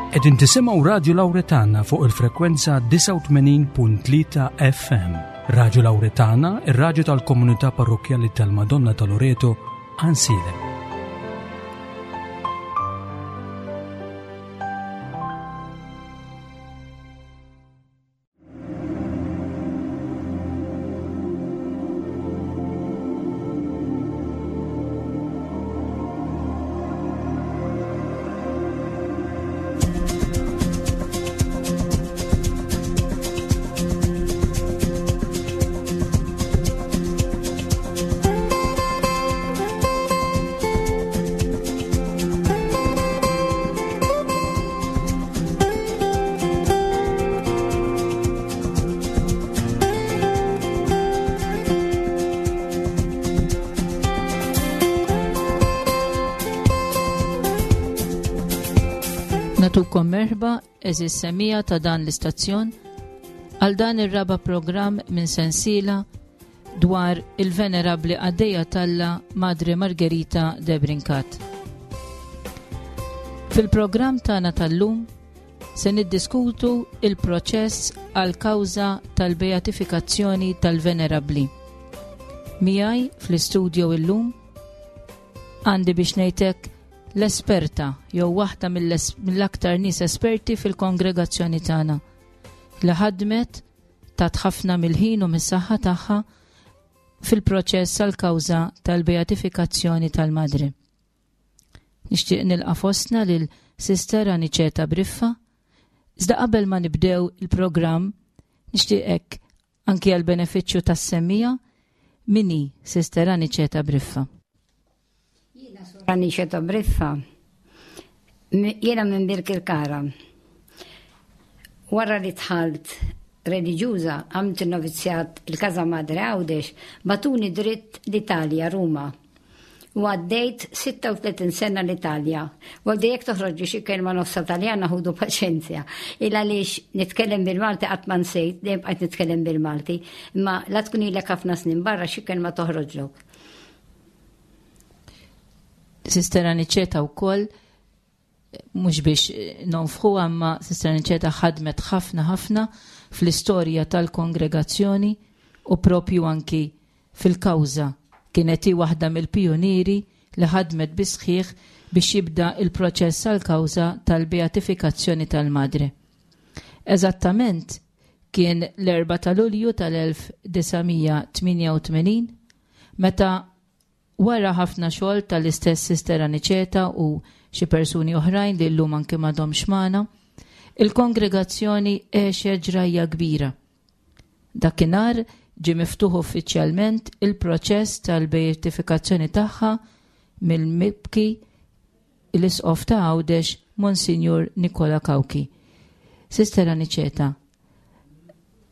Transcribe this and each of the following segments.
Qegħdin tisimgħu Radju Lawretana fuq il-frekwenza 89.3 FM. Radju Lawretana, ir-radju tal-komunità parrokkjali tal-Madonna ta' Loreto, Ansilem. Natukom merħba eżis semija ta' dan l-istazzjon għal dan ir-raba programm minn sensiela dwar il-Venerabbli Qaddejja t'Alla Madre Margherita de Brincat. Fil-programm tagħna tal-lum se niddiskutu il-proċess għal kawża tal-beatifikazzjoni tal-Venerabbli. Miegħi fl-istudio illum għandi biex ngħidlek l-esperta jew waħda mill-aktar nies esperti fil-kongregazzjoni tagħna li ħadmet tat ħafna mill-ħin u mis-saħħa tagħha fil-proċess għall-kawża tal-beatifikazzjoni tal-Madre. Nixtieq nilqa' fostna lil Sister Aniceta Briffa, iżda qabel ma nibdew il-programm nixtieqek anki għal benefiċċju tas-semmija min hi Sister Aniceta Briffa. Jiena Sor Aniceta Briffa, jiena minn Birkirkara. Wara li dħalt reliġjuża, għamilt in-novizzjat il-Casa Madre Għawdex, bagħtuni dritt l-Italja, Ruma. U għaddejt 36 sena l-Italja. Għaldi jekk toħroġ xi kelma nofsa Taljana ħudu paċenzja. Il għaliex nitkellem bil-Malti qatt ma nsejt, dejjem bqajt nitkellem bil-Malti, imma la tkun ilek ħafna snin barra xi kelma toħroġlok. Sister Aniċeta wkoll mhux biex nonfħu imma Sister Aniċeta ħadmet ħafna ħafna fl-istorja tal-kongregazzjoni u propju anki fil-kawża. Kienet hi waħda mill-pijunieri li ħadmet bis-sħiħ biex jibda il-proċess għal-kawża tal-beatifikazzjoni tal-Madre. Eżattament kien l-4 ta' Lulju tal-1988 meta wara ħafna xogħol tal-istess Sister Aniċeta u xi persuni oħrajn li llum anke m'għadhomx magħna, il-kongregazzjoni għexet ġrajja kbira. Dakinhar ġie miftuħ uffiċjalment il-proċess tal-beatifikazzjoni tagħha mill-mibki l-Isqof ta' Għawdex Monsinjur Nikola Cauchi. Sister Aniċeta,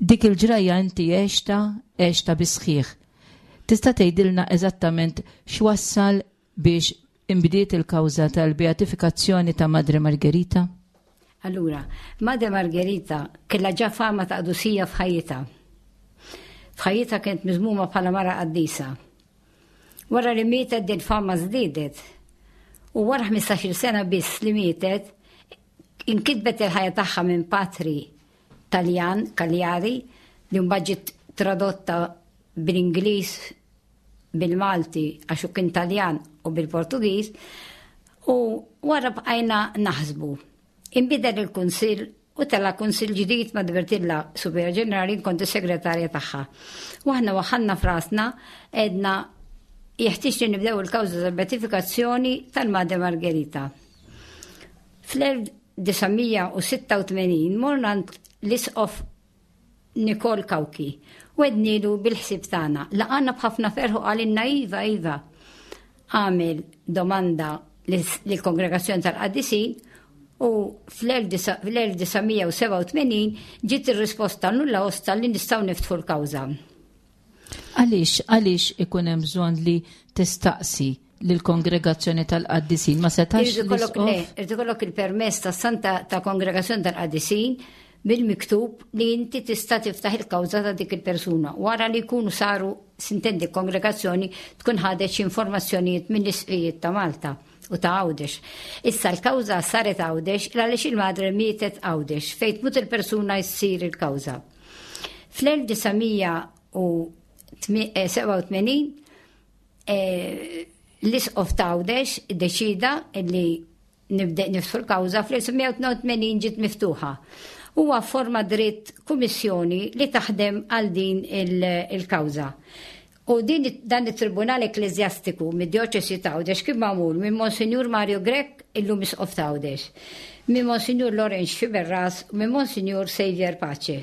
dik il-ġrajja inti għexta, għexta bis-sħiħ. Tista' tgħidilna eżattament x'wassal biex inbdiet il-kawża tal-beatifikazzjoni ta' Madre Margherita? Allura, Madre Margherita kellha ġa fama ta' qdusija f'ħajjitha. F'ħajjitha kienet miżmuma bħala mara qaddisa. Wara li mietet din fama żdiedet. U wara 15-il sena biss li mietet, inkitbet il-ħajja tagħha minn patri Taljan, Cagliari, li mbagħad ġiet tradotta bil-Ingliż, bil-Malti għax hu kien Taljan u bil-Portugiż, u wara bqajna naħsbu. Inbidel il-kunsill u tela' kunsill ġdid ma' Bertilla Superior Ġenerali kont is-segretarja tagħha. U aħna waħħalna f'rasna għedna jeħtieġ li nibdew il-kawża tal-beatifikazzjoni tal-Madre Margherita. Fl-1986 morna għand l-Isqof Nikol Cauchi u għednilu bil-ħsieb tagħna. Laqana b'ħafna ferħ u qalilna iva, iva. Għamel domanda lill-Kongregazzjoni tal-Qaddisin u fl-1987 ġiet ir-risposta nulla osta li nistgħu niftħu l-kawża. Għaliex, għaliex ikun hemm bżonn li tistaqsi lill-Kongregazzjoni tal-Qaddisin? Ma setax Irid ikollok le, irid ikollok il-permess tas-Santa ta' Kongregazzjoni tal-Qaddisin bil-miktub li inti tista' tiftaħ il-kawża ta' dik il-persuna. Wara li jkunu saru, sintendi, kongregazzjoni tkun ħadet xi informazzjonijiet mill-isqfijiet ta' Malta. u ta' Għawdex. Issa l-kawża saret Għawdex għaliex il-madre mietet Għawdex fejn tmut il-persuna jsir il-kawża. Fl-1987 eh, l-isqof ta' Għawdex iddeċida li nibda niftħu l-kawża fl-1982 ġiet miftuħa. Huwa forma dritt kummissjoni li taħdem għal din il-kawża. U din dan it-Tribunal Ekkleżjastiku mid-Djoċesi ta' Għawdex kien magħmul minn Monsinjur Mario Grech, illum Isqof ta' Għawdex, minn Monsinjur Lawrence Sciberras u minn Monsinjur Saviour Pace.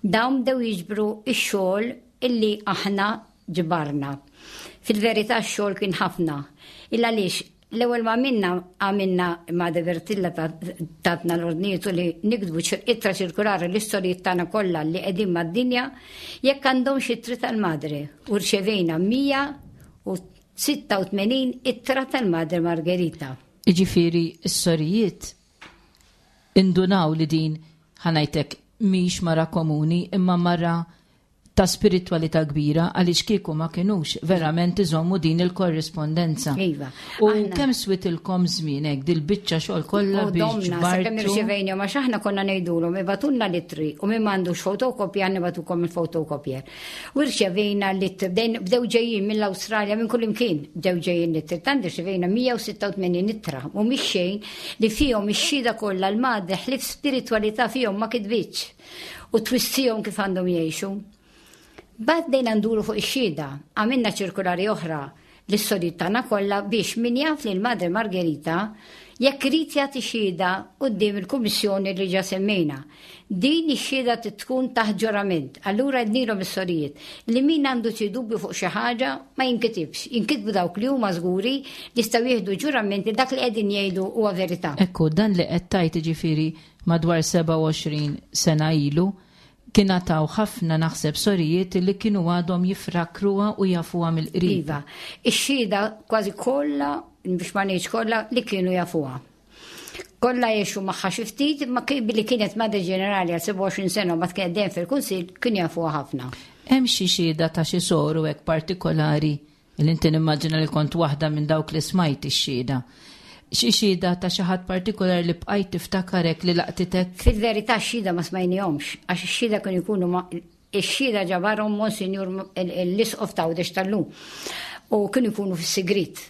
Dawn bdew jiġbru x-xogħol illi aħna ġbarna. Fil-verità x-xogħol kien ħafna. Il għaliex L-ewwel ma għamilna, għamilna ma' De Bertilla tatna l-ordnijiet u li niktbu ittra ċirkulari l-istorijiet tagħna kollha li qegħdin mad-dinja jekk għandhomx ittri tal-Madre u rċevejna 186 ittra tal-Madre Margherita. Jiġifieri s-sorijiet indunaw li din, ħa ngħidlek, mhix mara komuni imma mara ta' spiritwalità kbira għaliex kieku ma kinux verament iżommu din il-korrispondenza. Iva. U kemm switilkom żmien hekk dil-biċċa xogħol kollha biex ġbartu? Sakemm irċevejna għax aħna konna ngħidulhom ibatunna l-ittri u min m'għandux fotokopja nibatukom il-fotokopier. U rċevejna l-ittri bdew ġejjin mill-Awstralja minn kull imkien bdew ġejjin l-ittri. Tant irċevejna 186 ittra u mhix xejn li fihom ix-xhieda kollha l-madre ħlief spiritwalità fihom ma kitbitx. u twissihom kif għandhom jgħixu. Bad bdejna nduru fuq ix-xhieda, għamilna ċirkulari oħra lis-sorijiet tagħna kollha biex min jaf lil Madre Margherita jekk irid jagħti xhieda quddiem il-kummissjoni li ġa semmejna. Din ix-xhieda trid tkun taħt ġurament. Allura għednilhom is-sorijiet li min għandu xi dubju fuq xi ħaġa ma jinkitibx, jinkitbu dawk li huma żguri li jistgħu jieħdu ġurament li dak li qegħdin jgħidu huwa verità. Ekku, dan li qed tgħid jiġifieri Madwar 27 sena ilu, kien għad hawn ħafna naħseb sorijiet li kienu għadhom jifrakruha u jafuha mill-qrib. Iva, ix-xhieda kważi kollha, biex ma ngħidx kollha, li kienu jafuha. Kollha għexu magħha xi ftit, imma billi kienet Madre Ġenerali għal 27 sena u mbagħad kienet dejjem fil-Kunsill, kienu jafuha ħafna. Hemm xi xhieda ta' xi soru hekk partikolari Li inti nimmaġina li kont waħda minn dawk li smajt ix-xhieda. Xi xhieda ta' xi ħadd partikolari li bqajt tiftakar hekk li laqtitek? Fil-verità x-xhieda ma smajnihomx, għax ix-xhieda kienu jkunu ma' ix-xhieda ġabarhom Monsinjur l-Isqof t'Għawdex tal-lum u kienu jkunu fis-sigriet.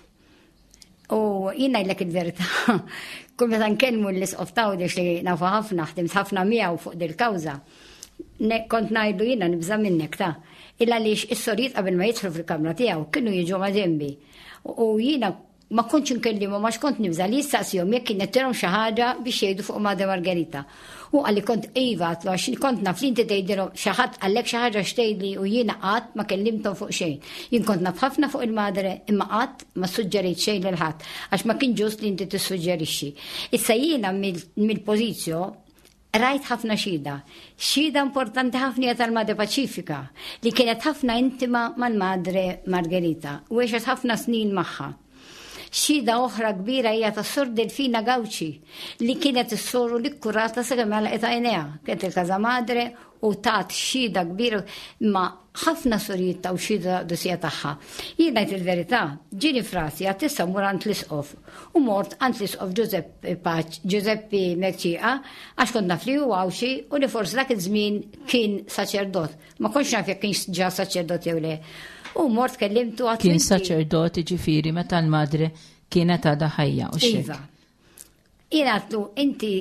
U jien ngħidlek il-verità, kull meta nkellmu l-Isqof t'Għawdex li nafu ħafna, ħdimt ħafna miegħu fuq dil-kawża, kont ngħidlu jiena nibża' minnek ta' il għaliex is-sorijiet qabel ma jidħlu fil-kamra tiegħu kienu jiġu ma' ġenbi. U jiena ma kontx inkellimhom għax kont nibża' li jistaqsihom jekk kien qed xi ħaġa biex jgħidu fuq Madre Margherita. U qalli kont iva għatlu għax kont naf li inti tgħidilhom xi ħadd qallek xi ħaġa x'tgħidli u jiena qatt ma kellimthom fuq xejn. Jien kont naf ħafna fuq il-madre imma qatt ma ssuġġerejt xejn lil ħadd għax ma kien ġust li inti tissuġġerixxi. Issa jiena mill-pożizzjo rajt ħafna xhieda. Xhieda importanti ħafna hija tal-Madre Paċifika li kienet ħafna intima mal-Madre Margherita u għexet ħafna snin magħha. Xhieda oħra kbira hija ta' Sor Delfina Gauci li kienet is-soru li kkurata sakemm għalqet għajnejha. Kienet il-Casa Madre u tat xhieda kbira imma ħafna sorijiet taw xhieda ta' qdusija tagħha. Jien ngħid il-verità, ġieni f'rasi għad issa mmur għand l-Isqof u mort għand l-Isqof Giuseppe Pace, Giuseppe Mercieca għax kont naf li hu Għawdxi u li forsi dak iż-żmien kien saċerdot. Ma kontx naf jekk kienx ġa saċerdot jew le. U mort kellimtu għat. Kien saċerdot ġifieri meta l-madre kienet għadha ħajja u xejn. Iva. Jien għatlu inti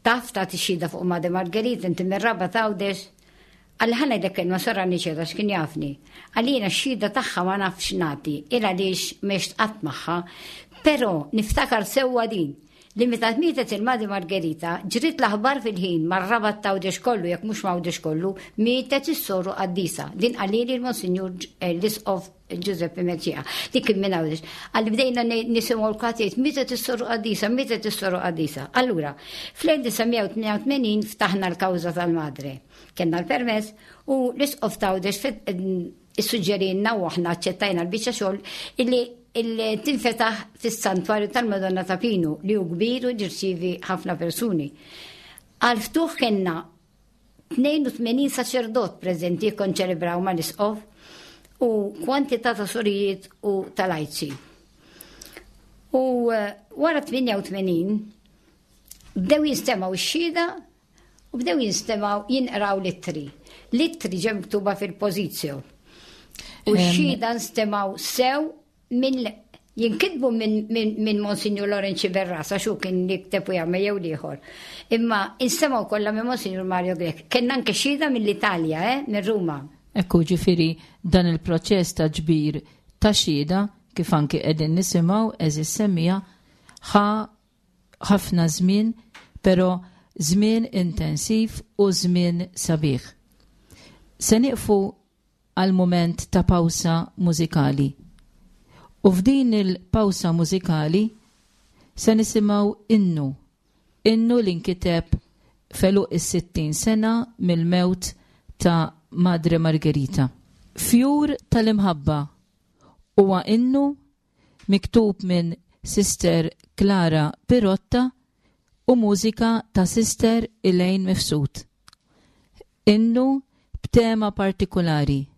taf ta' tixxida fuq Madre Margherita, inti mir-raba tawdex. Għalli ħana jdek kelma sarra niċeda x'kien jafni. Għalli jiena x-xhieda tagħha ma nafx nagħti, il għaliex m'għext qatt magħha. Però niftakar sewwa din li meta mietet il-Madre Margherita, ġriet l-aħbar fil-ħin mar-Rabat t'Għawdex kollu, jekk mhux m'Għawdex kollu, mietet is-soru qaddisa. Din qalili l-Monsinjur eh, l-Isqof Giuseppe Mercieca, li kien minn Għawdex. Qalli bdejna nisimgħu l-kulħadd jgħid mietet is-soru qaddisa, mietet is-soru qaddisa. Allura, fl-1988 ftaħna l-kawża tal-Madre. Kellna l-permess u l-Isqof t'Għawdex Issuġġerielna u aħna aċċettajna l-biċċa xogħol illi tinfetaħ fis-Santwarju tal-Madonna ta' Pinu li hu kbir u jirċievi ħafna persuni. Għal ftuħ kellna 82 saċerdot preżenti jikkonċelebraw mal-isqof u kwantità ta' sorijiet u tal-ajċi. U eh, wara 88 bdew jinstemgħu x-xhieda u bdew jinstemgħu jinqraw l-ittri. L-ittri ġew miktuba fil-pożizzjo. U x-xhieda nstemgħu sew minn jinkitbu minn min, min Monsignor Lorenzi Berras, għax hu kien jikteb u jagħmel jew l-ieħor. Imma instemgħu kollha minn Monsignor Mario Grech. Kellna anke xhieda mill-Italja, eh, minn Ruma. Ekku ġifieri dan il-proċess ta' ġbir ta' xhieda kif anki qegħdin nisimgħu għeżież semmiegħa ħa ħafna żmien pero żmien intensiv u żmien sabiħ. Se nieqfu għal mument ta' pawsa mużikali. U f'din il-pawsa mużikali se nisimgħu innu, innu li nkiteb f'għeluq is-60 sena mill-mewt ta' Madre Margherita. Fjur tal-Imħabba huwa innu miktub minn Sister Clara Pirotta u mużika ta' Sister Elaine Mifsud. Innu b'tema partikulari.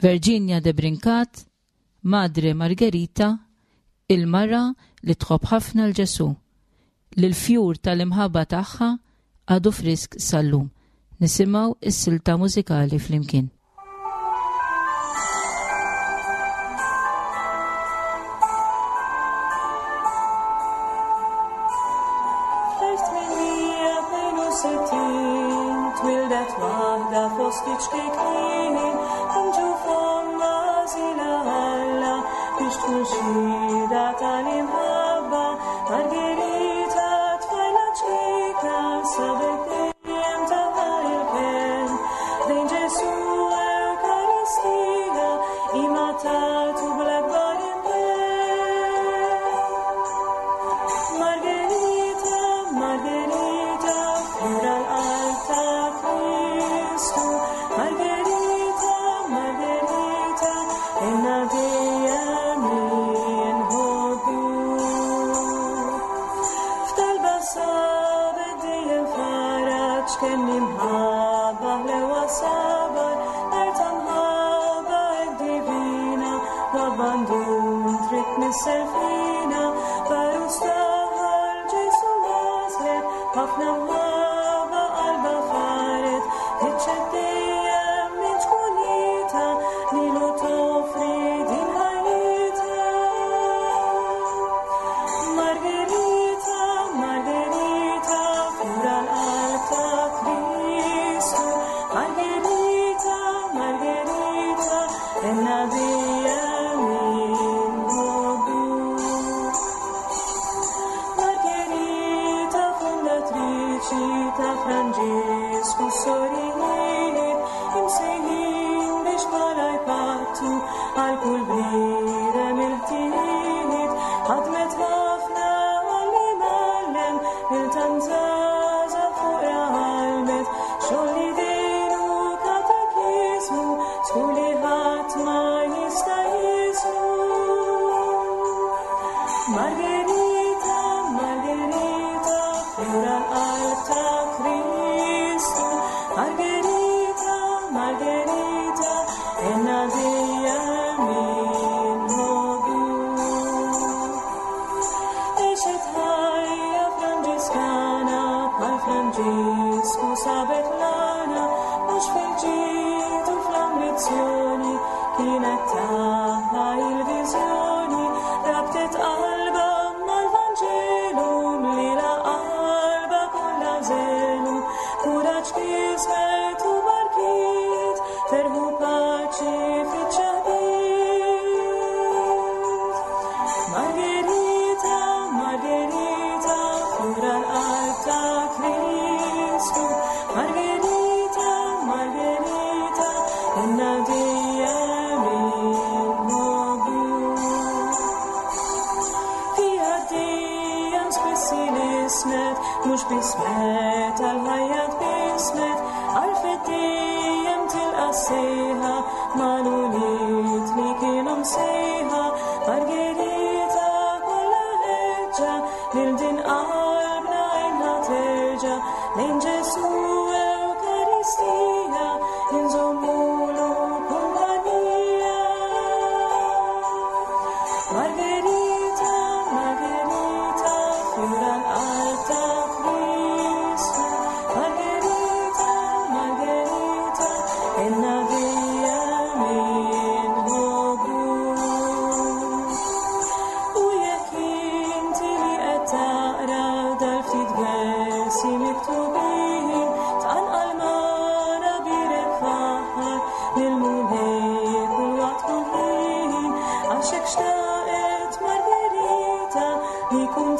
Virginia Debrincat, Madre Margherita, il-mara li tħobb ħafna 'l Ġesù, li l-fjur tal-imħabba tagħha għadu frisk sal-lum. Nisimgħu s-silta mużikali flimkien.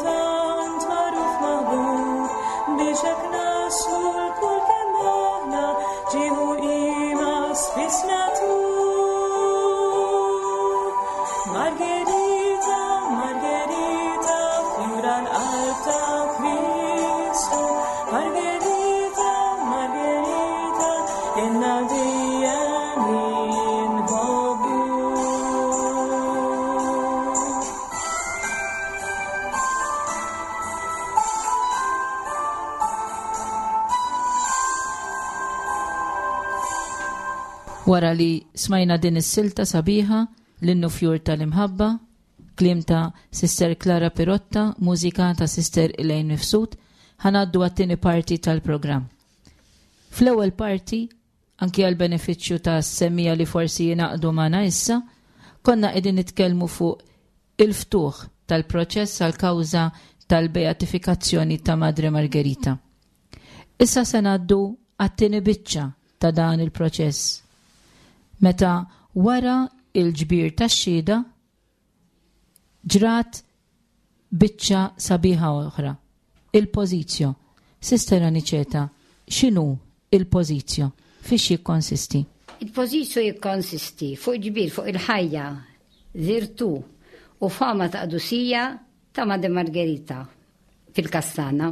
tant magħruf maħbub, biex hekk naslu lkoll kemm aħna ġieħ u qima spiss nagħtuk. Margherita, Margherita, fjura l-qalb ta' Kristu. Margherita, Margherita, inna dejjem inħobbu. Wara li smajna din is-silta sabiħa, l-innu fjur tal-imħabba, kliem ta' Sister Clara Pirotta, mużika ta' Sister Elaine Mifsud, ħa ngħaddu għat-tieni parti tal-programm. Fl-ewwel parti, anki għall-benefiċċju ta' semmiegħa li forsi jingħaqdu magħna issa, konna qegħdin nitkellmu fuq il-ftuħ tal-proċess għall-kawża tal-beatifikazzjoni ta' Madre Margherita. Issa se ngħaddu għat-tieni biċċa ta' dan il-proċess, meta wara l-ġbir tax-xhieda ġrat biċċa sabiħa oħra, il-pożizzjo. Sister Aniceta, x'inhu il-pożizzjo? Fiex jikkonsisti? Il-pożizzjo jikkonsisti fuq ġbir fuq il-ħajja, virtù u fama ta' qdusija ta' Madre Margherita fil-każ tagħna.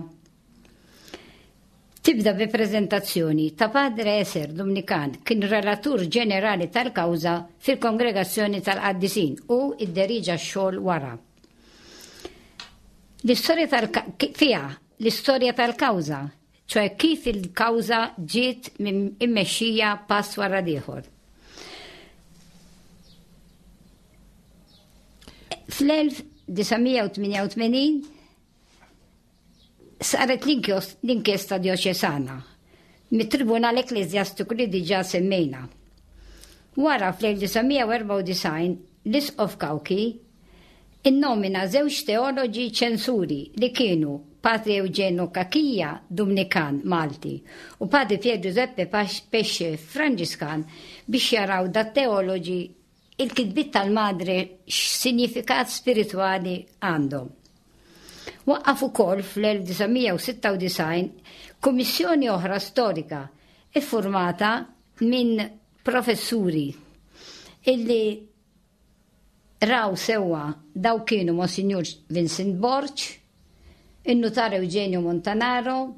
Tibda bi preżentazzjoni ta' Padre Eser Dumnikan kien relatur ġenerali tal-kawża fil-Kongregazzjoni tal-Qaddisin u idderiġa x-xogħol wara. L-istorja tal fiha l-istorja tal-kawża, ċoe kif il-kawża ġiet immexxija pass wara l-ieħor. Fl-1988 saret l-inkjesta djoċesana mit-Tribunal Ekkleżjastiku li diġà semmejna. Wara fl-1994 l-Isqof Cauchi innomina żewġ teoloġi ċensuri li kienu Patri Eugenio Cachia, Dumnikan Malti, u Patri Pier Giuseppe Pesce, Franġiskan, biex jaraw dat-teoloġi Il-kitbiet tal-Madre x'sinjifikat spiritwali għandhom? Waqqaf ukoll fl-1996 kummissjoni oħra storika iffurmata minn professuri illi raw sewwa daw kienu Monsinjur Vincent Borg, in-Nutar Eugenio Montanaro,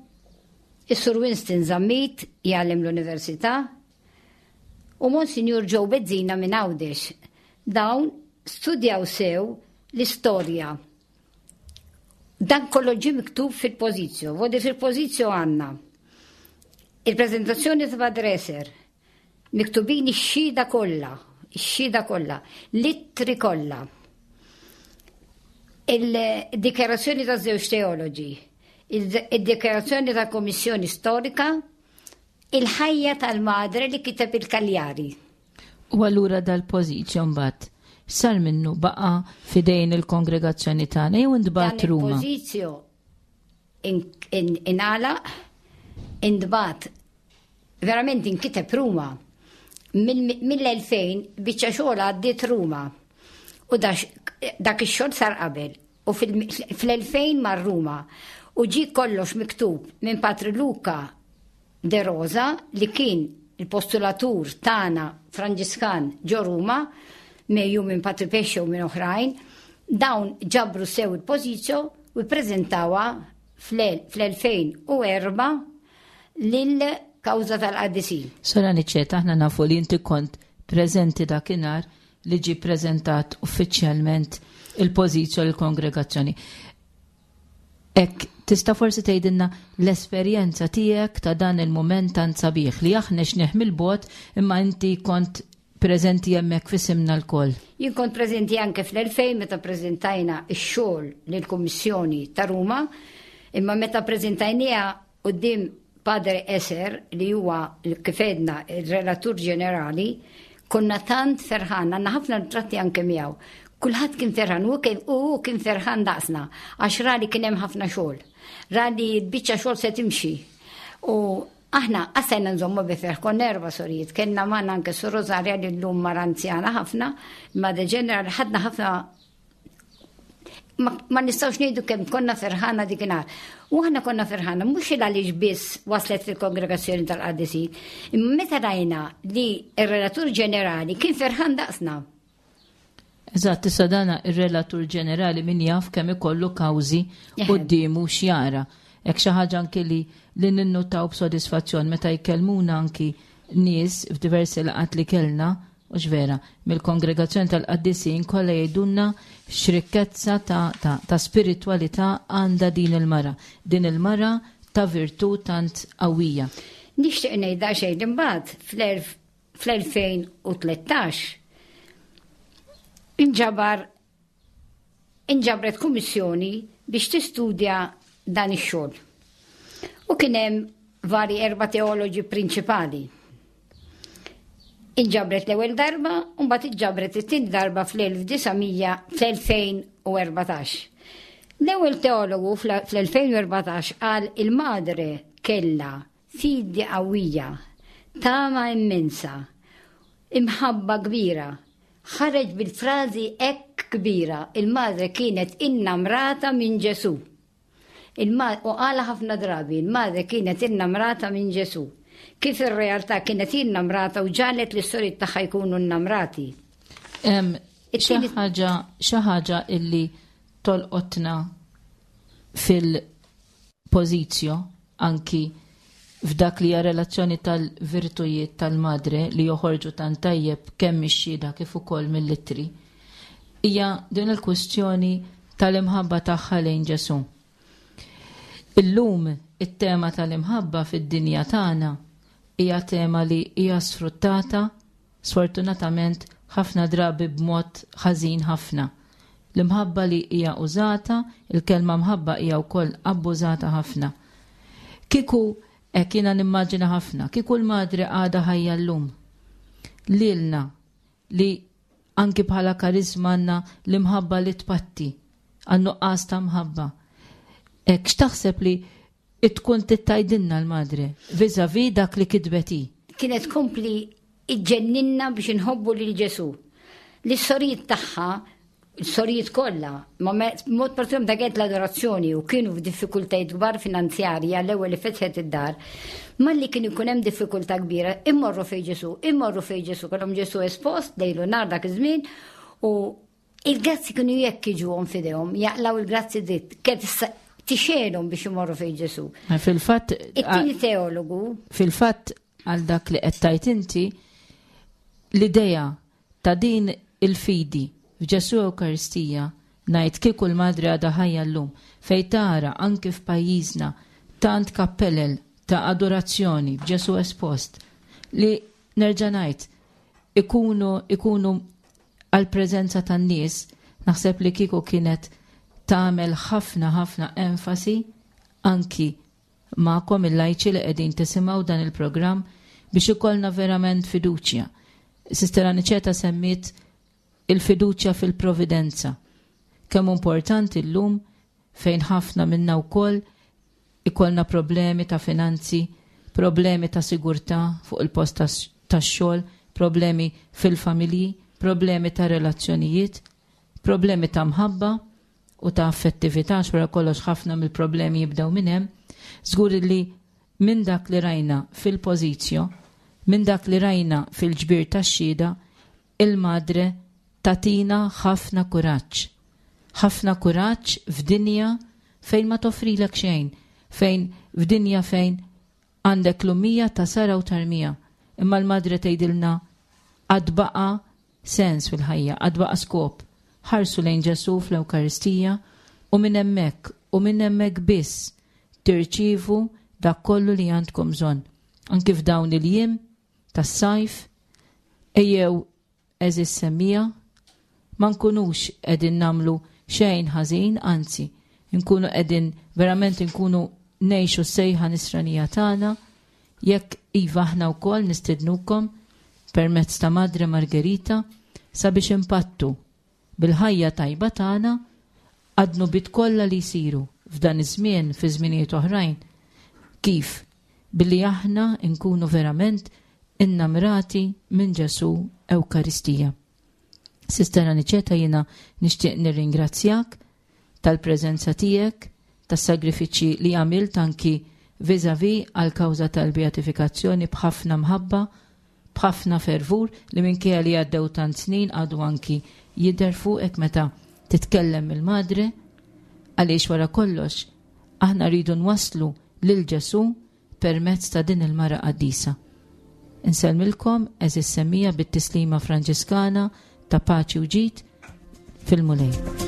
is-Sur Winston Zammit jgħallem l-Università, u Monsinjur Joe Bezzina minn Għawdex. Dawn studjaw sew l-istorja. Dan kollu ġie miktub fil-pożizzjo. Vodi fil-pożizzjo għandna il-preżentazzjoni ta' Badreser, miktubin ix-xhieda kollha, ix-xhieda kollha, l-ittri kollha. Il-dikjarazzjoni ta' żewġ teoloġi, il-dikjarazzjoni ta' Kommissjoni Storika, Il-ħajja tal-madre li kiteb il-Cagliari. U allura dal-pożizzjo mbagħad x'sar minnu baqa' f'idejn il-kongregazzjoni tagħna jew intbagħat Ruma? Dan il-pożizzjo ingħalaq, intbagħat verament inkiteb Ruma. Mill-2000 biċċa xogħol għaddiet Ruma. U dak ix-xogħol sar qabel. U fl-2000 mar Ruma u ġie kollox miktub minn Patri Luca De Rosa li kien il-postulatur tagħna Franġiskan ġo Ruma, megħjun minn Patri Pesce u minn oħrajn, dawn ġabru sew il-pożizzjo u ppreżentawha fl-2004 lill-Kawża tal-Qaddisin. Sora Niċċetta, aħna nafu li inti kont preżenti dakinhar li ġie ppreżentat uffiċjalment il-pożizzjo lill-kongregazzjoni. Hekk tista' forsi tgħidilna l-esperjenza tiegħek ta' dan il-mument tant sabiħ li aħna xnih mill-bogħod imma inti kont preżenti hemmhekk f'isimna lkoll. Jien kont preżenti anke fl-2000 meta ppreżentajna x-xogħol lill-Kummissjoni ta' Ruma, imma meta ppreżentajniha Quddiem Padre Esser, li huwa, kif għedna, ir-relatur ġenerali, konna tant ferħana, għandna ħafna ritratti anke miegħu. Kulħadd kien ferħan, u hu kien ferħan daqsna, għax ra li kien hemm ħafna xogħol. Ra li l-biċċa xogħol se timxi. U aħna qasajna nżommu bi ferħ, konna erba' sorijiet, kellna magħna anke Sur Rosaria li llum mara anzjana ħafna, imma de ġeneral ħadna ħafna. Ma, ma nistgħux ngħidu kemm konna ferħana dikinhar. U aħna konna ferħana mhux il għaliex biss waslet fil-kongregazzjoni tal-qaddisin, imma meta rajna li r-relatur ġenerali kien ferħan daqsna. Eżatt, issa dana ir-relatur ġenerali min jaf kemm ikollu kawżi quddiemu x'jara. Hekk xi ħaġa anki li li ninnutaw b'sodisfazzjon meta jkellmuna anki nies f'diversi laqgħat li kellna, hux vera, mill-kongregazzjoni tal-qaddisin kollha jgħidulna x'rikkezza ta' ta' ta' spiritwalità għandha din il-mara. Din il-mara ta' virtù tant qawwija. Nixtieq ngħid daqsxejn imbagħad fl-2013 inġabar inġabret kummissjoni biex tistudja dan ix-xogħol. U kien hemm vari erba' teoloġi prinċipali. Inġabret l-ewwel darba u mbagħad inġabret it-tieni darba fl-1900 fl-2014. L-ewwel teologu fl-2014 qal il-madre kella fidi qawwija, tama immensa, imħabba kbira. Ħareġ bil-frażi hekk kbira, il-madre kienet innamrata minn Ġesù. U qalha ħafna drabi, il-madre kienet innamrata minn Ġesù. Kif ir-realtà kienet innamrata u ġagħlet lis-soriet tagħha jkunu nnamrati. Xi ħaġa xi ħaġa illi tolqotna fil-pożizzjo anki f'dak li hija relazzjoni tal-virtujiet tal-madre li joħorġu tant tajjeb kemm mix-xhieda kif ukoll mill-ittri, hija din il-kwistjoni tal-imħabba tagħha lejn Ġesù. Illum it-tema tal-imħabba fid-dinja tagħna hija tema li hija sfruttata Sfortunatament, ħafna drabi b'mod ħażin ħafna. L-imħabba li hija użata, il-kelma mħabba hija wkoll abbużata ħafna. Kieku, hekk jiena nimmaġina ħafna, kieku l-Madre għadha ħajja llum, lilna li anki bħala kariżma għandna l-imħabba li tpatti għan-nuqqas ta' mħabba. Hekk x'taħseb li Tkun trid tgħidilna l-Madre vis-à-vis dak li kitbet hi? Kienet tkompli iġġenninna biex inħobbu lil Ġesù. Lis-sorijiet tagħha, is-sorijiet kollha, ma b'mod partikolari meta kienet l-adorazzjoni u kienu f'diffikultajiet kbar finanzjarji għall-ewwel li fetħet id-dar, malli kien ikun hemm diffikultà kbira, immorru fejn Ġesù, immorru fejn Ġesù, kellhom Ġesù espost lejl u nhar dak iż-żmien u Il-grazzi kienu jekk jiġuhom f'idejhom, jaqlaw il-grazzi dritt, kif tixelhom biex imorru fejn Ġesu. Fil-fatt. It-tieni teologu. Fil-fatt għal dak li qed tajt inti, l-idea ta' din il-fidi f'Ġesu Ewkaristija ngħid kieku l-Madre għadha ħajja llum fejn tara anki f'pajjiżna tant kappelel ta' adorazzjoni b'Ġesu espost li nerġa' ngħid ikunu ikunu Għall-preżenza tan-nies, naħseb li kieku kienet tagħmel ħafna ħafna enfasi anki magħkom il-lajċi li qegħdin tisimgħu dan il-programm biex ikollna verament fiduċja. Sister Aniċeta semmiet il-fiduċja fil-providenza. Kemm importanti llum fejn ħafna minna wkoll ikollna problemi ta' finanzi, problemi ta' sigurtà fuq il-post tax-xogħol, problemi fil-familji, problemi ta' relazzjonijiet, problemi ta' mħabba u ta' affettività, għax wara kollox ħafna mill-problemi jibdew minn hemm, żgur li minn dak li rajna fil-pożizzjo, minn dak li rajna fil-ġbir tax-xhieda, Il-Madre tagħtina ħafna kuraġġ. Ħafna kuraġġ f'dinja fejn ma toffrilek xejn, fejn f'dinja fejn għandek l-ummija ta' sara u tarmija. Imma l-Madre tgħidilna għad baqa' sens fil-ħajja, għad baqa' skop. Ħarsu lejn Ġesù fl-Ewkaristija u minn hemmhekk u minn hemmhekk biss tirċievu dak kollu li għandkom bżonn. Anki f'dawn il-jiem tas-sajf, ejjew għeżież semmiegħa, ma nkunux qegħdin nagħmlu xejn ħażin, anzi, nkunu qegħdin verament inkunu ngħixu s-sejħa nisranija tagħna, jekk iva aħna wkoll nistednukom permezz ta' Madre Margherita sabiex impattu bil-ħajja tajba tagħna għad-dnubiet kollha li jsiru f'dan iż-żmien fi żminijiet oħrajn. Kif? Billi aħna nkunu verament innamrati minn Ġesù Ewkaristija. Sister Aniċeta jiena nixtieq nirringrazzjak. tal-preżenza tiegħek, tas-sagrifiċċji li għamilt anki vis-à-vis għall-kawża tal-beatifikazzjoni b'ħafna mħabba, b'ħafna fervur li minkejja li għaddew tant snin għadu anki jidher fuqek meta titkellem mill-Madre, għaliex wara kollox aħna rridu nwasslu lil Ġesù permezz ta' din il-mara qaddisa. Insellmilkom għeżież semmiegħa bit-tislima Franġiskana ta' paċi u ġid fil-Mulej.